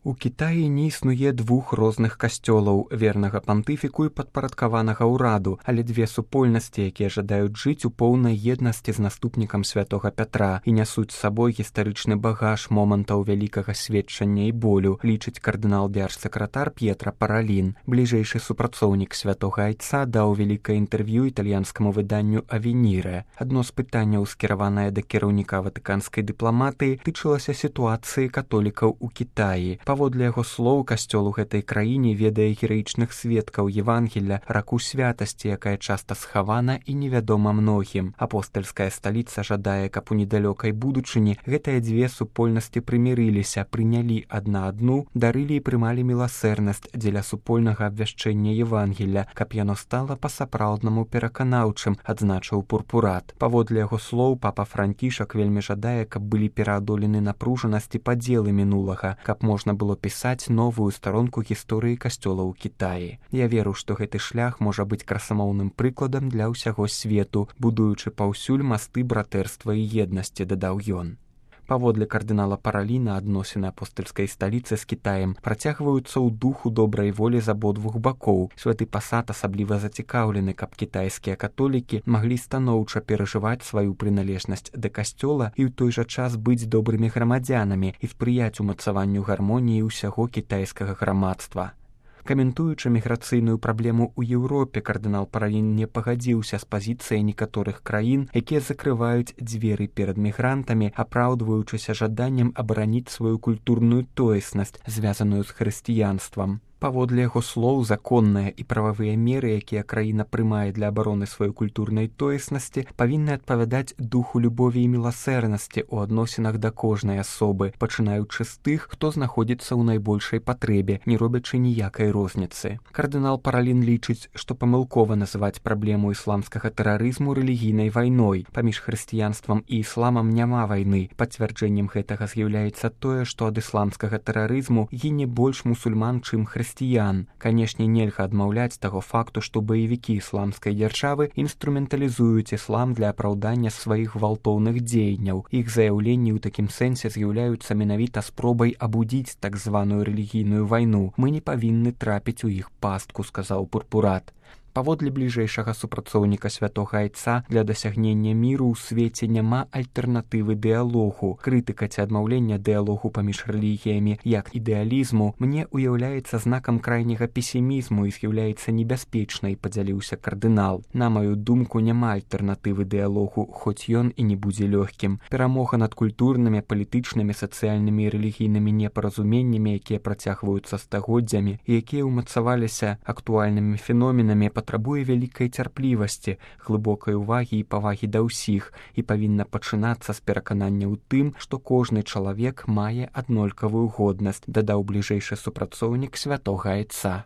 У Кітаі не існуе двух розных касцёлаў, вернага пантыфіку і падпарадкаванага ўраду, але две супольнасці, якія жадаюць жыць у поўнай еднасці з наступнікам святога Пятра і нясуць з сабой гістарычны багаж момантаў вялікага сведчання і болю, лічыць кардынал дзяржсакратар П'етра Паралін. Бліжэйшы супрацоўнік святога Айца даў вялікае інтэрв'ю італьянскаму выданню «Авеніре». Адно з пытанняў, скіраванае да кіраўніка ватыканскай дыпламатыі, тычылася сітуацыі католікаў у Кітаі. Паводле яго слоў, касцёл у гэтай краіне ведае гераічных сведкаў Евангелля, раку святасці, якая часта схавана і невядома многім. Апостальская сталіца жадае, каб у недалёкай будучыні гэтыя дзве супольнасці прымірыліся, прынялі адна адну, дарылі і прымалі міласэрнасць дзеля супольнага абвяшчэння Евангелля, каб яно стала па-сапраўднаму пераканаўчым, адзначыў Пурпурат. Паводле яго слоў, папа Францішак вельмі жадае, каб былі пераадолены напружанасці падзелы мінулага, каб можна было пісаць новую старонку гісторыі касцёла ў Кітаі. Я веру, што гэты шлях можа быць красамоўным прыкладам для ўсяго свету, будуючы паўсюль масты братэрства і еднасці, дадаў ён. Паводле кардынала Параліна, адносіны апостальскай сталіцы з Кітаем працягваюцца ў духу добрай волі з абодвух бакоў. Святы пасад асабліва зацікаўлены, каб кітайскія католікі маглі станоўча перажываць сваю прыналежнасць да касцёла і ў той жа час быць добрымі грамадзянамі і спрыяць умацаванню гармоніі ўсяго кітайскага грамадства. Каментуючы міграцыйную праблему ў Еўропе, кардынал Паралін не пагадзіўся з пазіцыяй некаторых краін, якія закрываюць дзверы перад мігрантамі, апраўдваючыся жаданнем абараніць сваю культурную тоеснасць, звязаную з хрысціянствам. Паводле яго слоў, законныя і прававыя меры, якія краіна прымае для абароны сваёй культурнай тоеснасці, павінны адпавядаць духу любові і міласэрнасці ў адносінах да кожнай асобы, пачынаючы з тых, хто знаходзіцца ў найбольшай патрэбе, не робячы ніякай розніцы. Кардынал Паралін лічыць, што памылкова называць праблему ісламскага тэрарызму рэлігійнай вайной. Паміж хрысціянствам і ісламам няма вайны. Пацвярджэннем гэтага з'яўляецца тое, што ад ісламскага тэрарызму гіне больш мусульман, чым хрысціян. Канешне, нельга адмаўляць таго факту, што баевікі ісламскай дзяржавы інструменталізуюць іслам для апраўдання сваіх гвалтоўных дзеянняў. Іх заяўленні ў такім сэнсе з'яўляюцца менавіта спробай абудзіць так званую рэлігійную вайну. Мы не павінны трапіць у іх пастку, сказаў Пурпурат. Паводле бліжэйшага супрацоўніка святога Айца, для дасягнення міру ў свеце няма альтэрнатывы дыялогу. Крытыка ці адмаўлення дыялогу паміж рэлігіямі як ідэалізму мне ўяўляецца знакам крайняга песімізму і з'яўляецца небяспечнай, падзяліўся кардынал. На маю думку, няма альтэрнатывы дыялогу, хоць ён і не будзе лёгкім. Перамога над культурнымі, палітычнымі, сацыяльнымі і рэлігійнымі непаразуменнямі, якія працягваюцца стагоддзямі і якія ўмацаваліся актуальнымі феноменамі, патрабуе вялікай цярплівасці, глыбокай увагі і павагі да ўсіх і павінна пачынацца з пераканання ў тым, што кожны чалавек мае аднолькавую годнасць, дадаў бліжэйшы супрацоўнік святога Айца.